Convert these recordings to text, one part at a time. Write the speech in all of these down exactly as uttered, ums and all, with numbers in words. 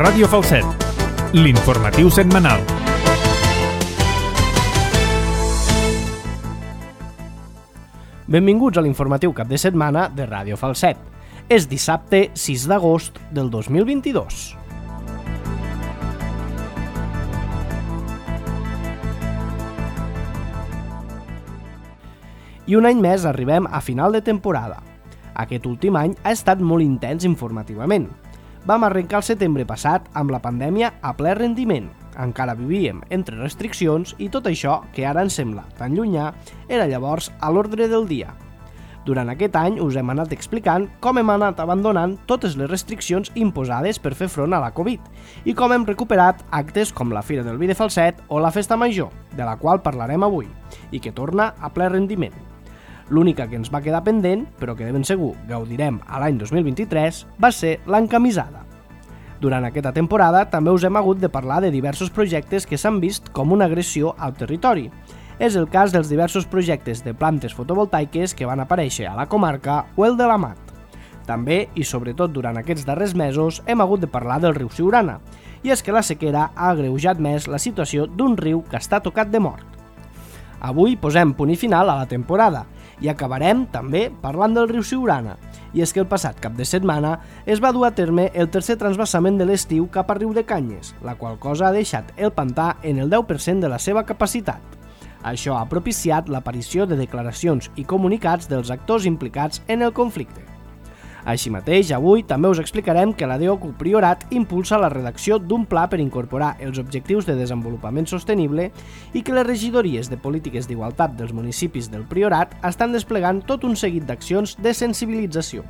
Ràdio Falset, l'informatiu setmanal. Benvinguts a l'informatiu cap de setmana de Ràdio Falset. És dissabte sis d'agost del dos mil vint-i-dos. I un any més arribem a final de temporada. Aquest últim any ha estat molt intens informativament. Vam arrencar el setembre passat amb la pandèmia a ple rendiment. Encara vivíem entre restriccions i tot això, que ara ens sembla tan llunyà, era llavors a l'ordre del dia. Durant aquest any us hem anat explicant com hem anat abandonant totes les restriccions imposades per fer front a la Covid i com hem recuperat actes com la Fira del Vi de Falset o la Festa Major, de la qual parlarem avui, i que torna a ple rendiment. L'única que ens va quedar pendent, però que de ben segur gaudirem a l'any dos mil vint-i-tres, va ser l'encamisada. Durant aquesta temporada també us hem hagut de parlar de diversos projectes que s'han vist com una agressió al territori. És el cas dels diversos projectes de plantes fotovoltaiques que van aparèixer a la comarca o el de l'Amat. També, i sobretot durant aquests darrers mesos, hem hagut de parlar del riu Siurana, i és que la sequera ha agreujat més la situació d'un riu que està tocat de mort. Avui posem punt i final a la temporada, i acabarem també parlant del riu Siurana, i és que el passat cap de setmana es va dur a terme el tercer transvasament de l'estiu cap a Riu de Canyes, la qual cosa ha deixat el pantà en el deu per cent de la seva capacitat. Això ha propiciat l'aparició de declaracions i comunicats dels actors implicats en el conflicte. Així mateix, avui també us explicarem que la D O C U Priorat impulsa la redacció d'un pla per incorporar els objectius de desenvolupament sostenible i que les regidories de polítiques d'igualtat dels municipis del Priorat estan desplegant tot un seguit d'accions de sensibilització.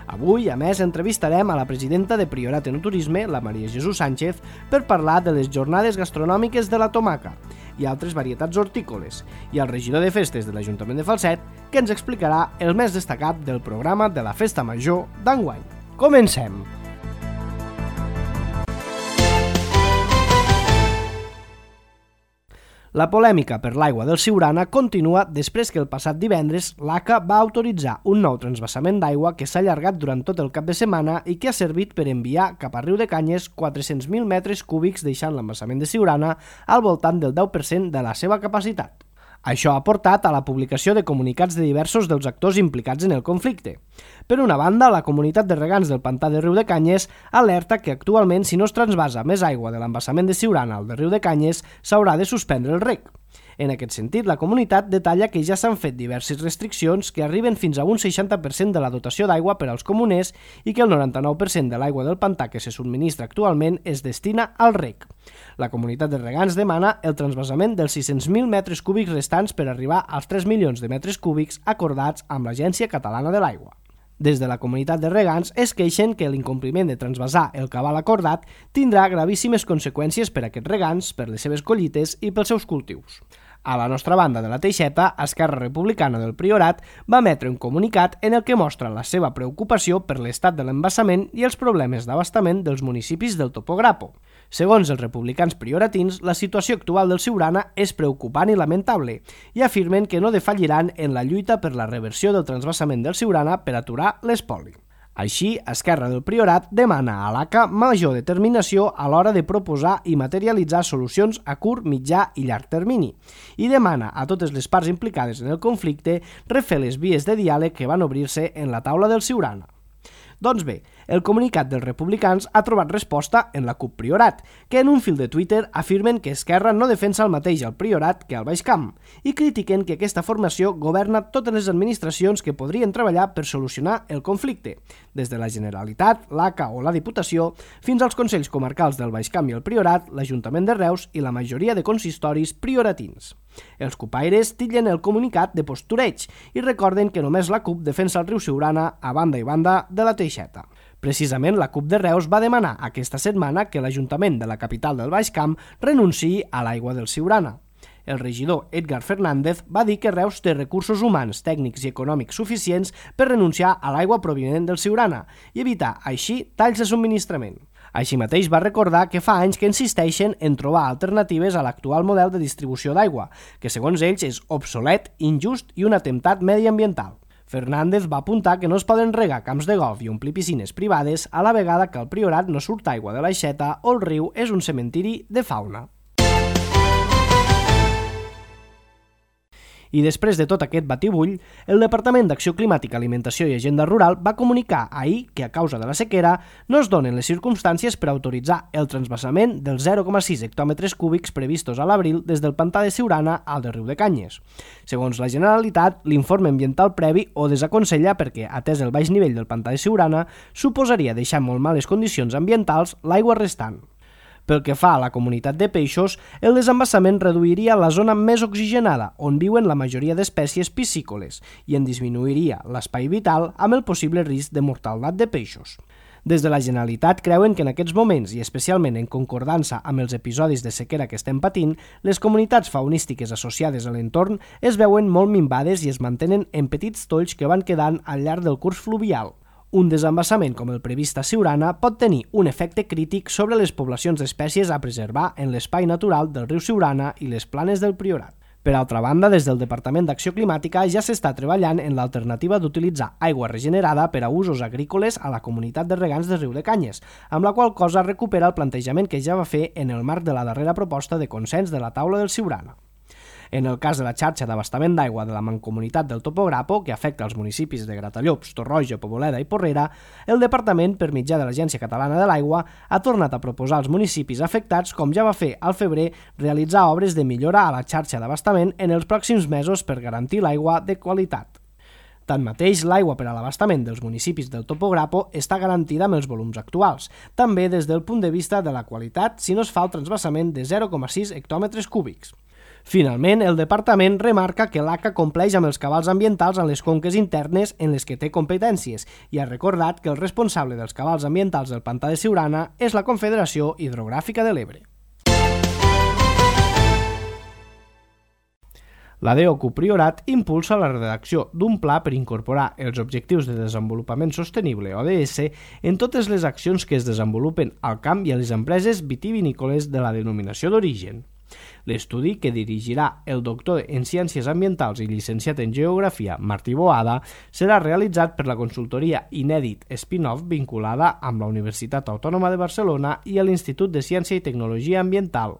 Avui, a més, entrevistarem a la presidenta de Priorat en Turisme, la Maria Jesús Sánchez, per parlar de les jornades gastronòmiques de la tomaca i altres varietats hortícoles, i al regidor de festes de l'Ajuntament de Falset, que ens explicarà el més destacat del programa de la Festa Major d'enguany. Comencem! La polèmica per l'aigua del Siurana continua després que el passat divendres l'A C A va autoritzar un nou transvasament d'aigua que s'ha allargat durant tot el cap de setmana i que ha servit per enviar cap a Riu de Canyes quatre-cents mil metres cúbics, deixant l'embassament de Siurana al voltant del deu per cent de la seva capacitat. Això ha portat a la publicació de comunicats de diversos dels actors implicats en el conflicte. Per una banda, la comunitat de regants del pantà de Riu de Canyes alerta que actualment, si no es transvasa més aigua de l'embassament de Siurana al de Riu de Canyes, s'haurà de suspendre el reg. En aquest sentit, la comunitat detalla que ja s'han fet diverses restriccions que arriben fins a un seixanta per cent de la dotació d'aigua per als comuners i que el noranta-nou per cent de l'aigua del pantà que se subministra actualment es destina al reg. La comunitat de regants demana el transvasament dels sis-cents mil metres cúbics restants per arribar als tres milions de metres cúbics acordats amb l'Agència Catalana de l'Aigua. Des de la comunitat de regants es queixen que l'incompliment de transvasar el cabal acordat tindrà gravíssimes conseqüències per a aquests regants, per les seves collites i pels seus cultius. A la nostra banda de la Teixeta, Esquerra Republicana del Priorat va emetre un comunicat en el que mostra la seva preocupació per l'estat de l'embassament i els problemes d'abastament dels municipis del Topograpo. Segons els republicans prioratins, la situació actual del Siurana és preocupant i lamentable i afirmen que no defalliran en la lluita per la reversió del transvasament del Siurana per aturar l'espoli. Així, Esquerra del Priorat demana a l'A C A major determinació a l'hora de proposar i materialitzar solucions a curt, mitjà i llarg termini i demana a totes les parts implicades en el conflicte refer les vies de diàleg que van obrir-se en la taula del Siurana. Doncs bé, el comunicat dels republicans ha trobat resposta en la C U P Priorat, que en un fil de Twitter afirmen que Esquerra no defensa el mateix al Priorat que al Baix Camp i critiquen que aquesta formació governa totes les administracions que podrien treballar per solucionar el conflicte, des de la Generalitat, l'A C A o la Diputació, fins als Consells Comarcals del Baix Camp i el Priorat, l'Ajuntament de Reus i la majoria de consistoris prioratins. Els cupaires titllen el comunicat de postureig i recorden que només la C U P defensa el riu Siurana a banda i banda de la Teixeta. Precisament, la C U P de Reus va demanar aquesta setmana que l'Ajuntament de la capital del Baix Camp renunciï a l'aigua del Siurana. El regidor Edgar Fernández va dir que Reus té recursos humans, tècnics i econòmics suficients per renunciar a l'aigua provinent del Siurana i evitar, així, talls de subministrament. Així mateix va recordar que fa anys que insisteixen en trobar alternatives a l'actual model de distribució d'aigua, que segons ells és obsolet, injust i un atemptat mediambiental. Fernández va apuntar que no es poden regar camps de golf i omplir piscines privades a la vegada que al Priorat no surt aigua de l'aixeta o el riu és un cementiri de fauna. I després de tot aquest batibull, el Departament d'Acció Climàtica, Alimentació i Agenda Rural va comunicar ahir que a causa de la sequera no es donen les circumstàncies per autoritzar el transvasament dels zero coma sis hectòmetres cúbics previstos a l'abril des del pantà de Siurana al de Riu de Canyes. Segons la Generalitat, l'informe ambiental previ ho desaconsella perquè, atès el baix nivell del pantà de Siurana, suposaria deixar en molt males condicions ambientals l'aigua restant. Pel que fa a la comunitat de peixos, el desembassament reduiria la zona més oxigenada, on viuen la majoria d'espècies piscícoles, i en disminuiria l'espai vital amb el possible risc de mortaldat de peixos. Des de la Generalitat creuen que en aquests moments, i especialment en concordança amb els episodis de sequera que estem patint, les comunitats faunístiques associades a l'entorn es veuen molt minvades i es mantenen en petits tolls que van quedant al llarg del curs fluvial. Un desembassament com el previst a Siurana pot tenir un efecte crític sobre les poblacions d'espècies a preservar en l'espai natural del riu Siurana i les planes del Priorat. Per altra banda, des del Departament d'Acció Climàtica ja s'està treballant en l'alternativa d'utilitzar aigua regenerada per a usos agrícoles a la comunitat de regants de Riu de Canyes, amb la qual cosa recupera el plantejament que ja va fer en el marc de la darrera proposta de consens de la taula del Siurana. En el cas de la xarxa d'abastament d'aigua de la Mancomunitat del Topograpo, que afecta els municipis de Gratallops, Torroja, Poboleda i Porrera, el Departament, per mitjà de l'Agència Catalana de l'Aigua, ha tornat a proposar als municipis afectats, com ja va fer al febrer, realitzar obres de millora a la xarxa d'abastament en els pròxims mesos per garantir l'aigua de qualitat. Tanmateix, l'aigua per a l'abastament dels municipis del Topograpo està garantida amb els volums actuals, també des del punt de vista de la qualitat si no es fa el transvasament de zero coma sis hectòmetres cúbics. Finalment, el departament remarca que l'A C A compleix amb els cabals ambientals en les conques internes en les que té competències i ha recordat que el responsable dels cabals ambientals del pantà de Siurana és la Confederació Hidrogràfica de l'Ebre. La D O C U Priorat impulsa la redacció d'un pla per incorporar els Objectius de Desenvolupament Sostenible, O D S, en totes les accions que es desenvolupen al camp i a les empreses vitivinícoles de la denominació d'origen. L'estudi, que dirigirà el doctor en Ciències Ambientals i llicenciat en Geografia Martí Boada, serà realitzat per la consultoria Inèdit Spin-off vinculada amb la Universitat Autònoma de Barcelona i l'Institut de Ciència i Tecnologia Ambiental,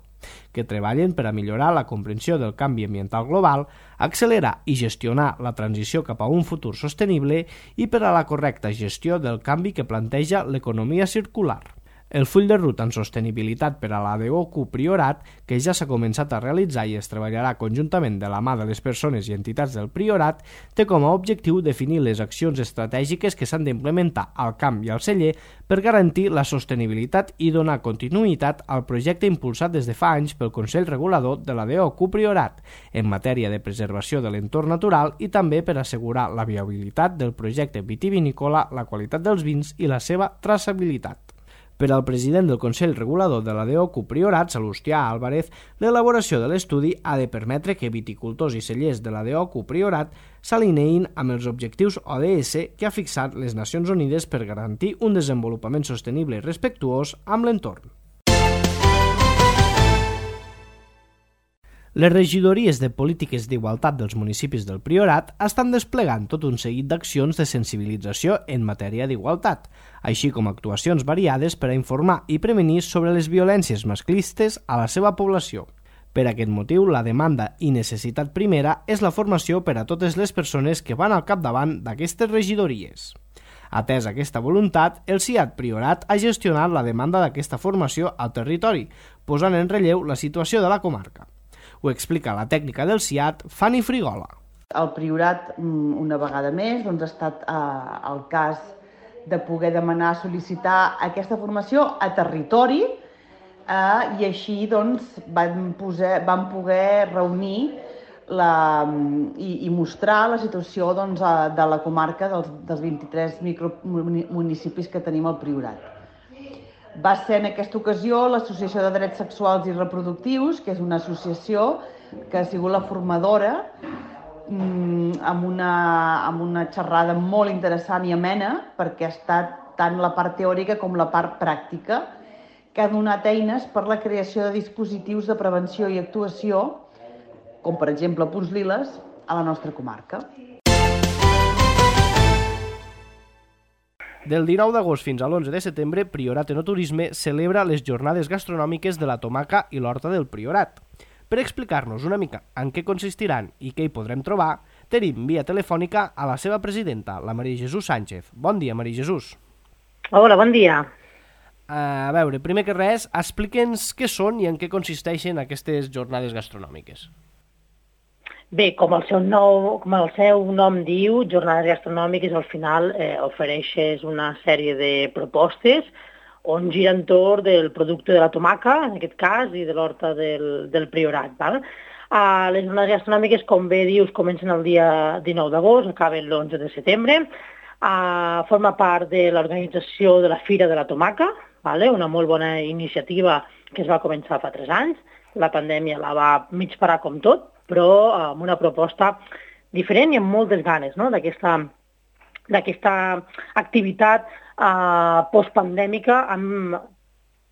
que treballen per a millorar la comprensió del canvi ambiental global, accelerar i gestionar la transició cap a un futur sostenible i per a la correcta gestió del canvi que planteja l'economia circular. El full de ruta en sostenibilitat per a la D O C U Priorat, que ja s'ha començat a realitzar i es treballarà conjuntament de la mà de les persones i entitats del Priorat, té com a objectiu definir les accions estratègiques que s'han d'implementar al camp i al celler per garantir la sostenibilitat i donar continuïtat al projecte impulsat des de fa anys pel Consell Regulador de la D O C U Priorat en matèria de preservació de l'entorn natural i també per assegurar la viabilitat del projecte vitivinícola, la qualitat dels vins i la seva traçabilitat. Per al president del Consell Regulador de la D O C U Priorat, Salustià Álvarez, l'elaboració de l'estudi ha de permetre que viticultors i cellers de la D O C U Priorat s'alineïn amb els objectius O D S que ha fixat les Nacions Unides per garantir un desenvolupament sostenible i respectuós amb l'entorn. Les regidories de polítiques d'igualtat dels municipis del Priorat estan desplegant tot un seguit d'accions de sensibilització en matèria d'igualtat, així com actuacions variades per a informar i prevenir sobre les violències masclistes a la seva població. Per aquest motiu, la demanda i necessitat primera és la formació per a totes les persones que van al capdavant d'aquestes regidories. Atès aquesta voluntat, el C I A T Priorat ha gestionat la demanda d'aquesta formació al territori, posant en relleu la situació de la comarca. Ho explica la tècnica del C I A T, Fanny Frigola. El Priorat, una vegada més, doncs, ha estat eh, el cas de poder demanar, sol·licitar aquesta formació a territori eh, i així doncs, van, posar, van poder reunir la, i, i mostrar la situació doncs, de la comarca dels, dels vint-i-tres micromunicipis que tenim al Priorat. Va ser en aquesta ocasió l'Associació de Drets Sexuals i Reproductius, que és una associació que ha sigut la formadora amb una, amb una xerrada molt interessant i amena, perquè ha estat tant la part teòrica com la part pràctica, que ha donat eines per la creació de dispositius de prevenció i actuació, com per exemple Punts Liles, a la nostra comarca. Del dinou d'agost fins a l'onze de setembre, Priorat Enoturisme celebra les jornades gastronòmiques de la Tomaca i l'Horta del Priorat. Per explicar-nos una mica en què consistiran i què hi podrem trobar, tenim via telefònica a la seva presidenta, la Maria Jesús Sánchez. Bon dia, Maria Jesús. Hola, bon dia. A veure, primer que res, explica'ns què són i en què consisteixen aquestes jornades gastronòmiques. Bé, com el seu, nou, com el seu nom diu, jornades gastronòmiques al final eh, ofereixes una sèrie de propostes on gira entorn del producte de la tomaca, en aquest cas, i de l'horta del, del Priorat. Val? Uh, les jornades gastronòmiques, com bé dius, comencen el dia dinou d'agost, acaben l'onze de setembre. Uh, forma part de l'organització de la Fira de la Tomaca, vale? Una molt bona iniciativa que es va començar fa tres anys. La pandèmia la va mig parar com tot, però uh, amb una proposta diferent i amb moltes ganes, no? d'aquesta d'aquesta activitat uh, postpandèmica amb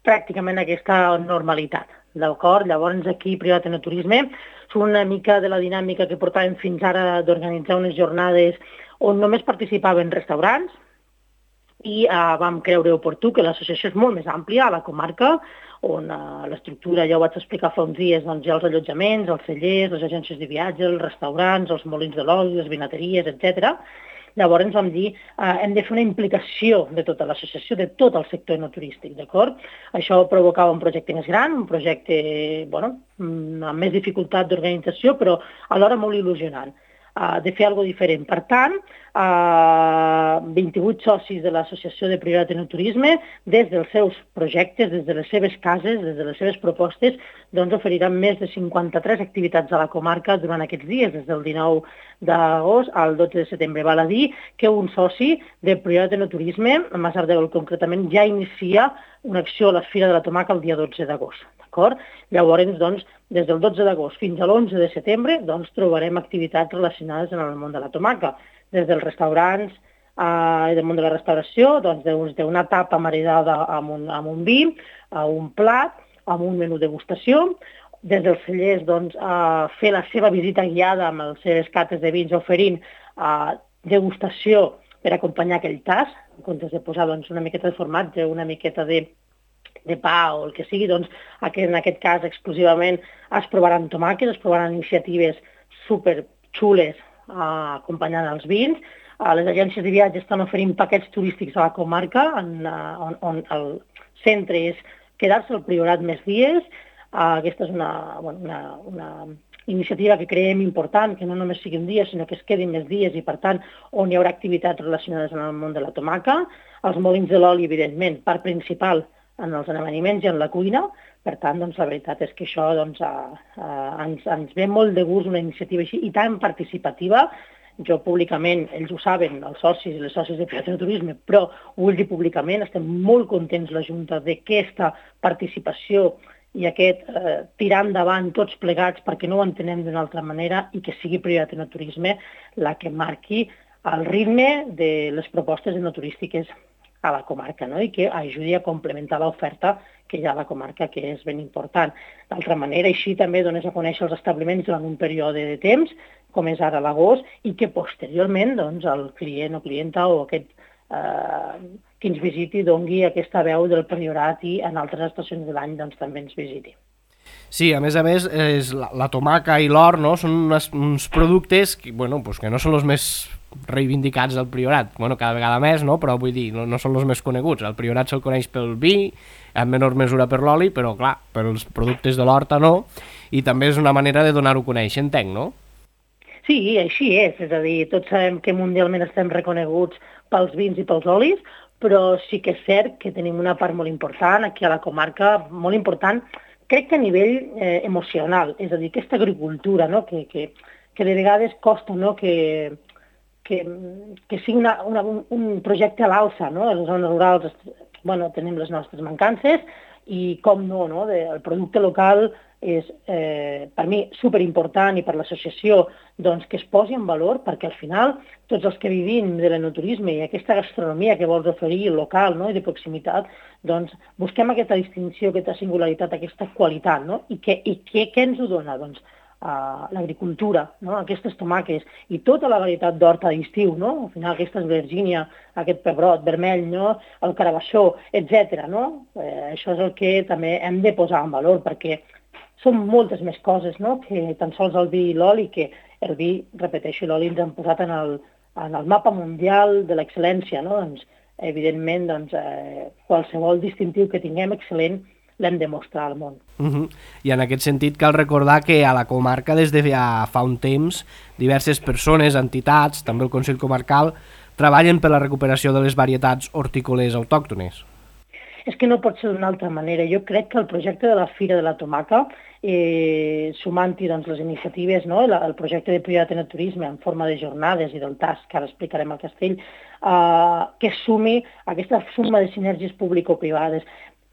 pràcticament aquesta normalitat. D'acord? Llavors aquí, Priorat Enoturisme, són una mica de la dinàmica que portàvem fins ara d'organitzar unes jornades on només participaven restaurants i uh, vam creure oportú que l'associació és molt més àmplia a la comarca, on uh, l'estructura, ja ho vaig explicar fa uns dies, doncs hi ha els allotjaments, els cellers, les agències de viatge, els restaurants, els molins de l'oli, les vinateries, etcètera. Llavors ens vam dir eh, hem de fer una implicació de tota l'associació, de tot el sector enoturístic, d'acord? Això provocava un projecte més gran, un projecte bueno, amb més dificultat d'organització, però alhora molt il·lusionant, uh, de fer alguna cosa diferent. Per tant, uh, vint-i-vuit socis de l'associació de Priorat Enoturisme, des dels seus projectes, des de les seves cases, des de les seves propostes, doncs oferiran més de cinquanta-tres activitats a la comarca durant aquests dies, des del dinou d'agost al dotze de setembre. Val a dir que un soci de Priorat Enoturisme, a Masardeu concretament, ja inicia una acció a la Fira de la Tomaca el dia dotze d'agost. D'acord? Llavors, doncs, des del dotze d'agost fins a l'onze de setembre, doncs, trobarem activitats relacionades amb el món de la tomaca, des dels restaurants i eh, del món de la restauració, doncs, d'una tapa maridada amb un, amb un vi, a un plat, amb un menú degustació, des dels cellers doncs, a fer la seva visita guiada amb les seves cates de vins, oferint eh, degustació per acompanyar aquell tas, en comptes de posar doncs, una miqueta de formatge, una miqueta de, de pa o el que sigui, doncs, en aquest cas exclusivament es provaran tomàquets, es provaran iniciatives superxules eh, acompanyant els vins. Eh, les agències de viatge estan oferint paquets turístics a la comarca, en, on, on el centre és quedar-se al Priorat més dies. Uh, aquesta és una, bueno, una, una iniciativa que creiem important, que no només sigui un dia, sinó que es quedin més dies i, per tant, on hi haurà activitats relacionades amb el món de la tomaca. Els molins de l'oli, evidentment, part principal en els amaniments i en la cuina. Per tant, doncs, la veritat és que això doncs, uh, uh, ens, ens ve molt de gust una iniciativa així i tan participativa. Jo públicament, ells ho saben, els socis i les socis de Priorat Enoturisme, però ho vull dir públicament, estem molt contents la Junta d'aquesta participació i aquest eh, tirar endavant tots plegats perquè no ho entenem d'una altra manera i que sigui Priorat Enoturisme la que marqui el ritme de les propostes enoturístiques a la comarca, no? I que ajudi a complementar l'oferta que hi ha a la comarca, que és ben important. D'altra manera, així també dones a conèixer els establiments durant un període de temps, com és ara l'agost, i que posteriorment doncs, el client o clienta o aquest eh, qui ens visiti dongui aquesta veu del Priorat i en altres estacions de l'any doncs, també ens visiti. Sí, a més a més, és la, la tomaca i l'or, no? Són unes, uns productes que, bueno, pues que no són els més reivindicats del Priorat, bueno, cada vegada més, no? Però vull dir, no, no són els més coneguts. El Priorat se'l coneix pel vi, en menor mesura per l'oli, però clar, per els productes de l'horta no, i també és una manera de donar-ho a conèixer, entenc, no? Sí, així és, és a dir, tots sabem que mundialment estem reconeguts pels vins i pels olis, però sí que és cert que tenim una part molt important aquí a la comarca, molt important, crec que a nivell eh, emocional, és a dir, aquesta agricultura, no? que, que, que de vegades costa, no? que, que, que sigui una, una, un projecte a l'alça, no? A les zones rurals bueno, tenim les nostres mancances i com no, no? De, el producte local és eh, per mi superimportant i per l'associació doncs, que es posi en valor perquè al final tots els que vivim de l'enoturisme i aquesta gastronomia que vols oferir local, no? I de proximitat, doncs busquem aquesta distinció, aquesta singularitat, aquesta qualitat, no? I, que, i que, què ens ho dona? Doncs uh, l'agricultura, no? Aquestes tomàques i tota la varietat d'horta d'estiu, no? Al final aquesta Virgínia, aquest pebrot vermell, no? El carabassó, etcètera. No? Eh, això és el que també hem de posar en valor, perquè són moltes més coses, no? Que tan sols el vi i l'oli, que el vi, repeteixo, l'oli ens han posat en el, en el mapa mundial de l'excel·lència, no? Doncs, evidentment, doncs, eh, qualsevol distintiu que tinguem excel·lent l'hem de mostrar al món. Uh-huh. I en aquest sentit cal recordar que a la comarca des de ja fa un temps diverses persones, entitats, també el Consell Comarcal, treballen per la recuperació de les varietats hortícoles autòctones. És que no pot ser d'una altra manera. Jo crec que el projecte de la Fira de la Tomaca, eh, sumant-hi doncs, les iniciatives, no? el, el projecte de prioritat en el turisme en forma de jornades i del T A S, que ara explicarem al Castell, eh, que sumi aquesta suma de sinergies público-privades.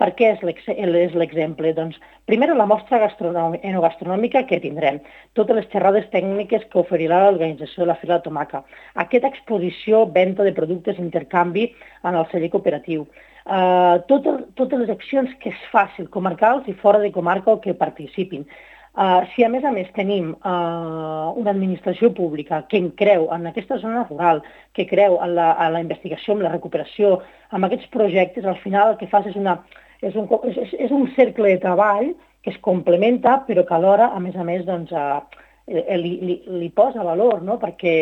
Per què és l'exemple? Doncs, primer, la mostra enogastronòmica que tindrem, totes les xerrades tècniques que oferirà l'organització de la Fira de la Tomaca, aquesta exposició, venda de productes, intercanvi en el celler cooperatiu, uh, totes, totes les accions que es facin, comarcals i fora de comarca o que participin. Uh, si a més a més tenim uh, una administració pública que en creu en aquesta zona rural, que creu en la, en la investigació, en la recuperació, en aquests projectes, al final el que fas és una... És un, és, és un cercle de treball que es complementa, però que alhora, a més a més, doncs, eh, li, li, li posa valor, no? Perquè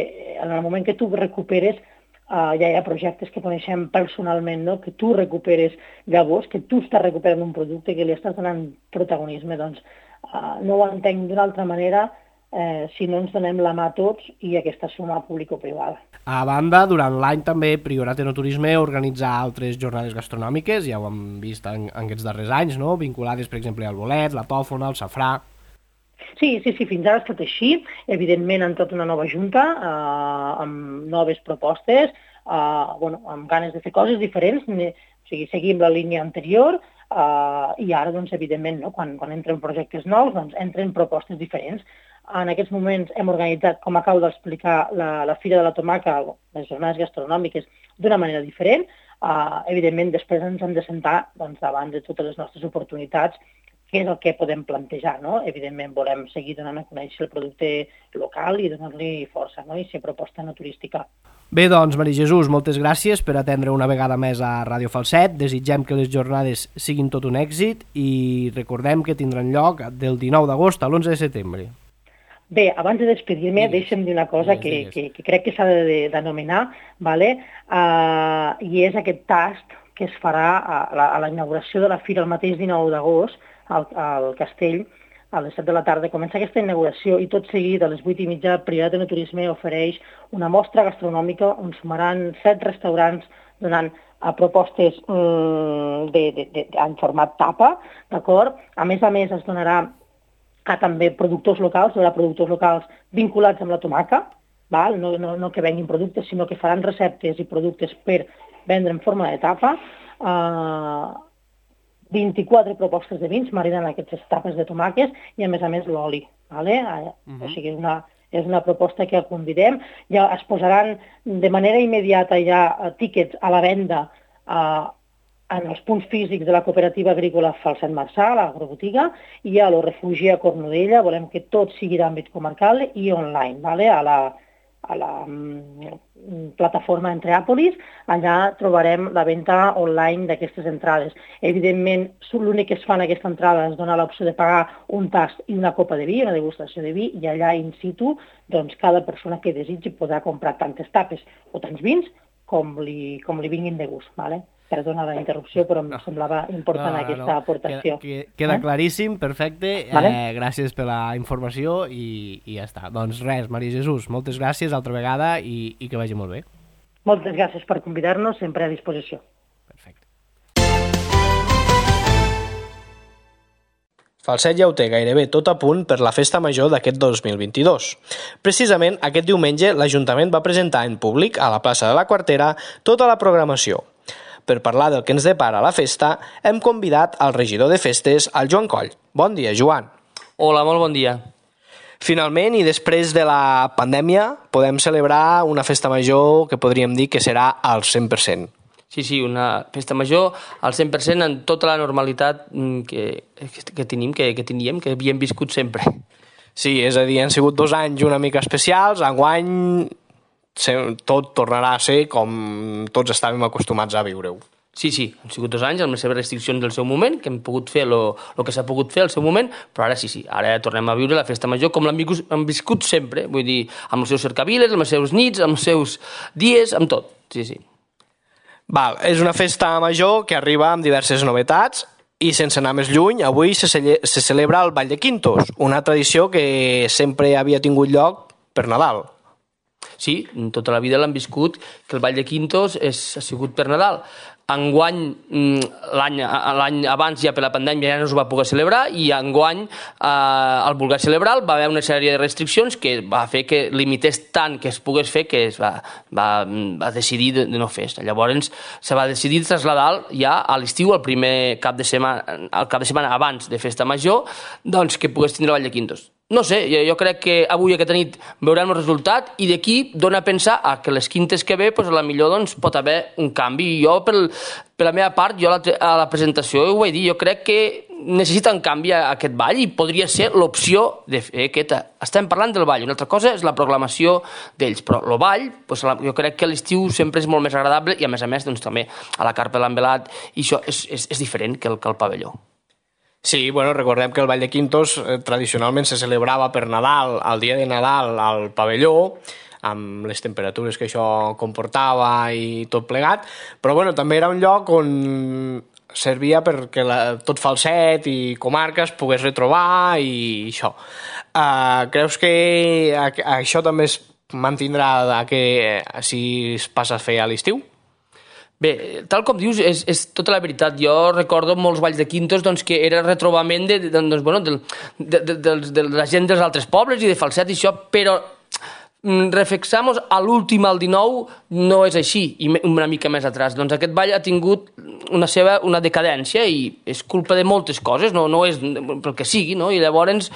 en el moment que tu recuperes, eh, ja hi ha projectes que coneixem personalment, no? Que tu recuperes llavors, que tu estàs recuperant un producte, que li estàs donant protagonisme, doncs eh, no ho entenc d'una altra manera eh, si no ens donem la mà a tots i aquesta suma público-privada. A banda, durant l'any també Priorat Enoturisme organitza altres jornades gastronòmiques, ja ho hem vist en, en aquests darrers anys, no? Vinculades, per exemple, al bolet, la tòfona, el safrà... Sí, sí, sí, fins ara ha estat així. Evidentment, han tot una nova junta, eh, amb noves propostes, eh, bueno, amb ganes de fer coses diferents, o sigui, seguim la línia anterior, eh, i ara, doncs, evidentment, no? quan, quan entren projectes nous, doncs, entren propostes diferents. En aquests moments hem organitzat, com acabo d'explicar, la, la Fira de la Tomaca, les jornades gastronòmiques, d'una manera diferent. Uh, evidentment, després ens hem de sentar doncs, davant de totes les nostres oportunitats, què és el que podem plantejar. No? Evidentment, volem seguir donant a conèixer el producte local i donar-li força, no? I ser proposta no turística. Bé, doncs, Maria Jesús, moltes gràcies per atendre una vegada més a Ràdio Falset. Desitgem que les jornades siguin tot un èxit i recordem que tindran lloc del dinou d'agost a l'onze de setembre. Bé, abans de despedir-me, deixa'm dir una cosa que, que, que crec que s'ha d'anomenar, vale? uh, i és aquest tast que es farà a la, a la inauguració de la Fira el mateix dinou d'agost al, al Castell, a les set de la tarda. Comença aquesta inauguració i tot seguit a les vuit i mitja Priorat Enoturisme ofereix una mostra gastronòmica on sumaran set restaurants donant a propostes mm, de, de, de, en format tapa, d'acord? A més a més es donarà a també productors locals, hi haurà productors locals vinculats amb la tomaca, val? No, no, no que venguin productes, sinó que faran receptes i productes per vendre en forma de tapa. Uh, vint-i-quatre propostes de vins marinen aquestes tapes de tomàques i, a més a més, l'oli. Vale? Uh-huh. O sigui, una, és una proposta que convidem. Ja es posaran de manera immediata ja tíquets a la venda uh, en els punts físics de la cooperativa agrícola Falset Marçà, l'agrobotiga, i a lo refugi a Cornudella. Volem que tot sigui d'àmbit comarcal i online, vale? a la, a la mm, plataforma Entreàpolis. Allà trobarem la venda online d'aquestes entrades. Evidentment, l'únic que es fa en aquesta entrada és donar l'opció de pagar un tast i una copa de vi, una degustació de vi, i allà in situ, doncs, cada persona que desitgi podrà comprar tantes tapes o tants vins com li, com li vinguin de gust, vale? Perdona la interrupció, però em no. semblava important no, aquesta no. aportació. Queda, queda eh? claríssim, perfecte. Vale? Eh, gràcies per la informació i, i ja està. Doncs res, Maria Jesús, moltes gràcies altra vegada i, i que vagi molt bé. Moltes gràcies per convidar-nos, sempre a disposició. Perfecte. Falset ja ho té gairebé tot a punt per la festa major d'aquest dos mil vint-i-dos. Precisament aquest diumenge l'Ajuntament va presentar en públic a la plaça de la Quartera tota la programació. Per parlar del que ens depara la festa, hem convidat al regidor de festes, el Joan Coll. Bon dia, Joan. Hola, molt bon dia. Finalment, i després de la pandèmia, podem celebrar una festa major que podríem dir que serà al cent per cent. Sí, sí, una festa major al cent per cent en tota la normalitat que, que tenim, que, que teníem, que havíem viscut sempre. Sí, és a dir, han sigut dos anys una mica especials, enguany tot tornarà a ser com tots estàvem acostumats a viure-ho. Sí, sí, han sigut dos anys amb les seves restriccions del seu moment, que hem pogut fer el que s'ha pogut fer al seu moment, però ara sí, sí, ara tornem a viure la festa major com l'hem viscut sempre, vull dir, amb els seus cercaviles, amb els seus nits, amb els seus dies, amb tot, sí, sí. Val, és una festa major que arriba amb diverses novetats i sense anar més lluny, avui se, cele se celebra el Ball de Quintos, una tradició que sempre havia tingut lloc per Nadal. Sí, tota la vida l'han viscut, que el Ball de Quintos és, ha sigut per Nadal. Enguany, l'any abans ja per la pandèmia ja no es va poder celebrar i enguany eh, el voler celebrar va haver una sèrie de restriccions que va fer que limités tant que es pogués fer que es va, va, va decidir de, de no fer. Llavors se va decidir traslladar ja a l'estiu, el primer cap de setmana, el cap de setmana abans de Festa Major, doncs que pogués tindre el Ball de Quintos. No sé, jo, jo crec que avui aquesta nit veurem el resultat i d'aquí dona a pensar a que les quintes que ve, pues, a la millor doncs, pot haver un canvi. I jo, per, per la meva part, jo a la, a la presentació ho vaig dir, jo crec que necessita un canvi a aquest ball i podria ser l'opció de fer aquesta. Estem parlant del ball, una altra cosa és la proclamació d'ells, però el ball, pues, jo crec que l'estiu sempre és molt més agradable i a més a més doncs, també a la carpa de l'envelat i això és, és, és diferent que el, que el pavelló. Sí, bueno, recordem que el Ball de Quintos eh, tradicionalment se celebrava per Nadal, el dia de Nadal al pavelló, amb les temperatures que això comportava i tot plegat, però bueno, també era un lloc on servia perquè la, tot Falset i comarca es pogués retrobar i això. Uh, creus que a, a això també es mantindrà que si es passa a fer a l'estiu? Bé, tal com dius, és, és tota la veritat. Jo recordo molts balls de Quintos doncs, que era retrobament de, de, doncs, bueno, de, de, de, de, de la gent dels altres pobles i de Falset i això, però reflexamos a l'últim, al dinou, no és així, i una mica més atrás. Doncs aquest ball ha tingut una seva una decadència i és culpa de moltes coses, no, no és pel que sigui, no? I llavors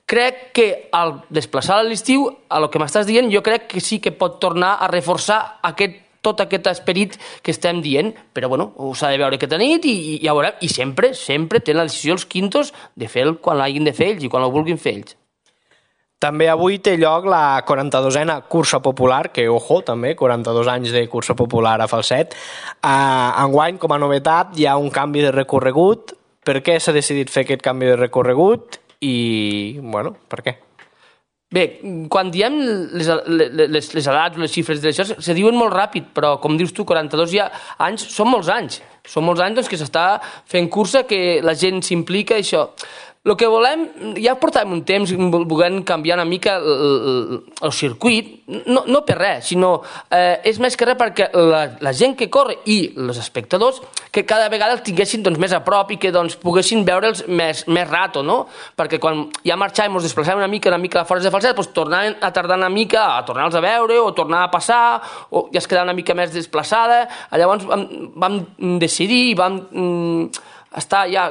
crec que al desplaçar a l'estiu, a lo que m'estàs dient, jo crec que sí que pot tornar a reforçar aquest tot aquest esperit que estem dient, però bueno, ho s'ha de veure aquesta nit i, i ja veurem, i sempre, sempre tenen la decisió els quintos de fer-lo quan l'hagin de fer ells i quan ho vulguin fer ells. També avui té lloc la quaranta-dosena cursa popular, que, ojo, també, quaranta-dos anys de cursa popular a Falset. Uh, enguany, com a novetat, hi ha un canvi de recorregut. Per què s'ha decidit fer aquest canvi de recorregut? I, bueno, per què? Bé, quan diem les, les, les edats o les xifres d'això, se diuen molt ràpid, però com dius tu, quaranta-dos ja anys, són molts anys. Són molts anys doncs, que s'està fent cursa, que la gent s'implica i això. El que volem, ja portàvem un temps volent canviar una mica el, el, el circuit, no, no per res, sinó eh, és més que res perquè la, la gent que corre i els espectadors que cada vegada els tinguessin doncs, més a prop i que doncs, poguessin veure'ls més, més rato, no? Perquè quan ja marxàvem, ens desplaçàvem una mica, una mica fora de Falset, doncs tornaven a tardar una mica a tornar-los a veure o tornar a passar, o ja es quedava una mica més desplaçada. Llavors vam, vam decidir i vam... Mm, estar ja,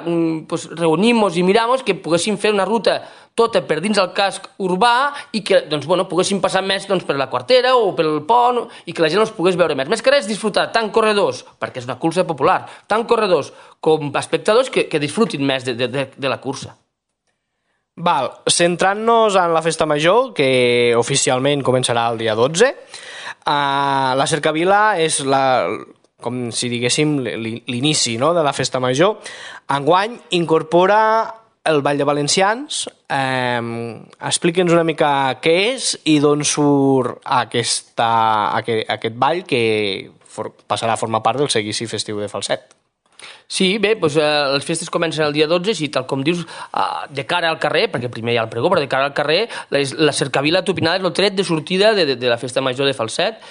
pues, reunimos i miramos que poguéssim fer una ruta tota per dins el casc urbà i que doncs, bueno, poguéssim passar més doncs, per la Quartera o pel pont i que la gent els pogués veure més. Més que res disfrutar tant corredors, perquè és una cursa popular, tant corredors com espectadors que, que disfrutin més de, de, de la cursa. Val, centrant-nos en la festa major, que oficialment començarà el dia dotze, uh, la cercavila és la... com si diguéssim l'inici, no?, de la festa major. Enguany incorpora el Ball de Valencians. Eh, Explica'ns una mica què és i d'on surt aquesta, aquest, aquest ball que for, passarà a formar part del seguici festiu de Falset. Sí, bé, doncs, eh, les festes comencen el dia dotze, i tal com dius, eh, de cara al carrer, perquè primer hi ha el pregó, però de cara al carrer, la, la cercavila tupinada és el tret de sortida de, de, de la festa major de Falset.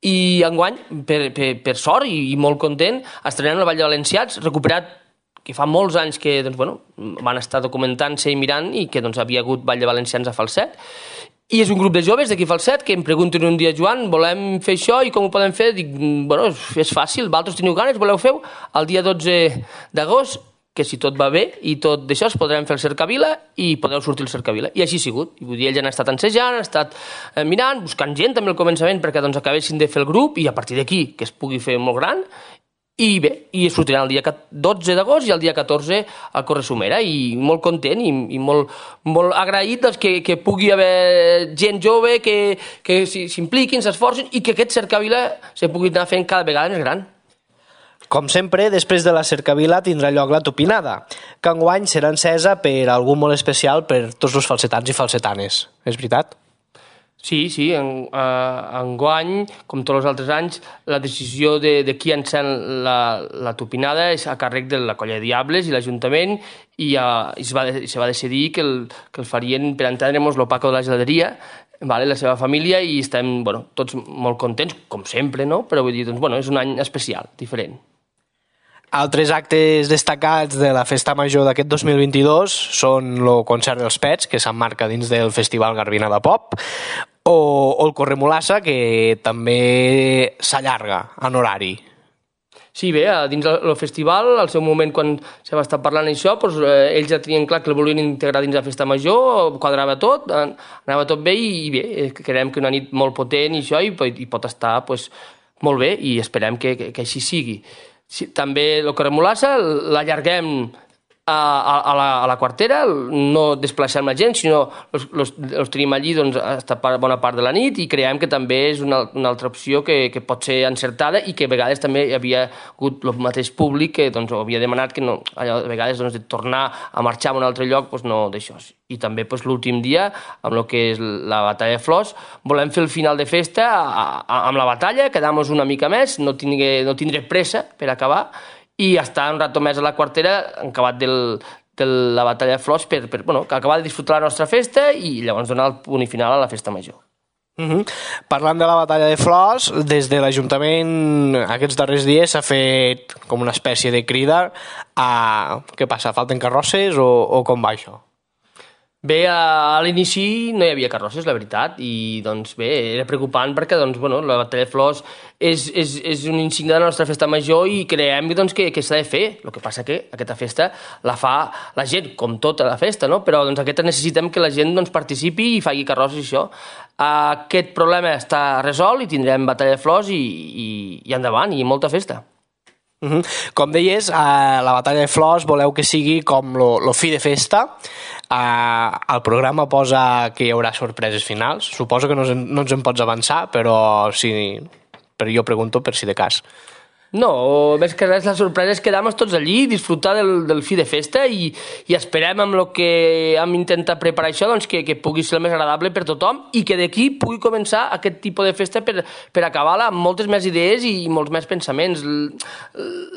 I enguany, per, per, per sort i, i molt content, estrenem el Ball de Valencians, recuperat, que fa molts anys que doncs, bueno, van estar documentant-se i mirant i que doncs, havia hagut Ball de Valencians a Falset. I és un grup de joves d'aquí a Falset que em pregunten un dia, Joan, volem fer això i com ho podem fer? Dic, bueno, és fàcil, vosaltres teniu ganes, voleu fer-ho? El dia dotze d'agost, que si tot va bé i tot d'això es podrem fer el cercavila i podeu sortir el cercavila. I així ha sigut. I vull dir, ells han estat ensejant, han estat eh, mirant, buscant gent també al començament perquè doncs, acabessin de fer el grup i a partir d'aquí que es pugui fer molt gran i bé, i sortirà el dia dotze d'agost i el dia catorze a Corresumera, i molt content i, i molt, molt agraït doncs, que, que pugui haver gent jove que, que s'impliquin, s'esforcin i que aquest cercavila se pugui anar fent cada vegada més gran. Com sempre, després de la cercavila tindrà lloc la tupinada, que enguany serà encesa per algú molt especial per tots els falsetans i falsetanes. És veritat? Sí, sí, en, eh, enguany, com tots els altres anys, la decisió de, de qui encén la, la tupinada és a càrrec de la Colla de Diables i l'Ajuntament, i, uh, i es, va, se va decidir que el, que el farien per entendre'ns l'Opaco de la Geladeria, vale, la seva família, i estem bueno, tots molt contents, com sempre, no? Però vull dir, doncs, bueno, és un any especial, diferent. Altres actes destacats de la Festa Major d'aquest dos mil vint-i-dos són el concert dels Pets, que s'emmarca dins del Festival Garbina de Pop, o, o el Corremolassa, que també s'allarga en horari. Sí, bé, dins el festival, al seu moment, quan se va estar parlant això, doncs, eh, ells ja tenien clar que el volien integrar dins la Festa Major, quadrava tot, anava tot bé, i bé, creiem que una nit molt potent i això, i, i pot estar pues, molt bé, i esperem que, que, que així sigui. Sí, també el Corremolassa l'allarguem a, a, a, la, a la quartera, no desplaçem la gent, sinó els tenim allí doncs, hasta bona part de la nit, i creiem que també és una, una altra opció que, que pot ser encertada, i que a vegades també hi havia hagut el mateix públic que doncs, havia demanat que no, allò, a vegades doncs, de tornar a marxar a un altre lloc, doncs, no d'això. I també doncs, l'últim dia, amb el que és la batalla de flors, volem fer el final de festa a, a, amb la batalla, quedar-nos una mica més, no tindré, no tindré pressa per acabar, i estar un rato més a la quartera, acabat del, de la batalla de flors, per, per bueno, acabar de disfrutar la nostra festa i llavors donar el punt i final a la Festa Major. Uh-huh. Parlant de la batalla de flors, des de l'Ajuntament aquests darrers dies s'ha fet com una espècie de crida a... Què passa, falten carrosses o, o com va això? Bé, a l'inici no hi havia carrosses, la veritat, i doncs bé, era preocupant perquè doncs, bueno, la batalla de flors és, és, és un insigne de la nostra festa major i creiem doncs, que, que s'ha de fer. El que passa que aquesta festa la fa la gent, com tota la festa, no? Però doncs, aquesta necessitem que la gent doncs, participi i faci carrosses i això. Aquest problema està resolt i tindrem batalla de flors i, i, i endavant, i molta festa. Uh-huh. Com deies, a la batalla de flors voleu que sigui com lo, lo fi de festa. Uh, el programa posa que hi haurà sorpreses finals. Suposo que no, no ens en pots avançar, però, si, però jo pregunto per si de cas. No, més que res la sorpresa és quedar-nos tots allí, disfrutar del, del fi de festa i, i esperem amb el que hem intentat preparar això doncs, que, que pugui ser el més agradable per tothom i que d'aquí pugui començar aquest tipus de festa per, per acabar-la amb moltes més idees i molts més pensaments.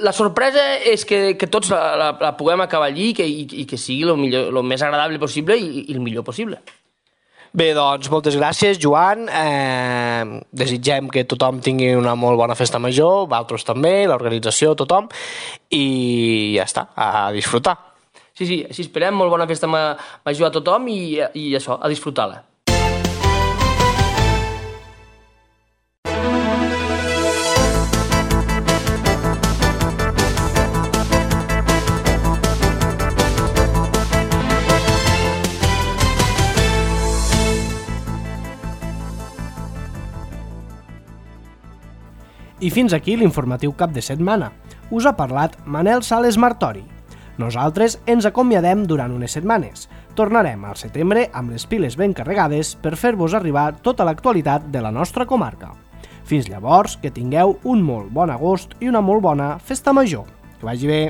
La sorpresa és que, que tots la, la, la puguem acabar allí i que, i, i que sigui el, millor, el més agradable possible i, i el millor possible. Bé, doncs, moltes gràcies, Joan. Eh, desitgem que tothom tingui una molt bona festa major, vosaltres també, l'organització, tothom, i ja està, a disfrutar. Sí, sí, així esperem, molt bona festa major a tothom i, i això, a disfrutar-la. I fins aquí l'informatiu cap de setmana. Us ha parlat Manel Sales Martori. Nosaltres ens acomiadem durant unes setmanes. Tornarem al setembre amb les piles ben carregades per fer-vos arribar tota l'actualitat de la nostra comarca. Fins llavors, que tingueu un molt bon agost i una molt bona festa major. Que vagi bé!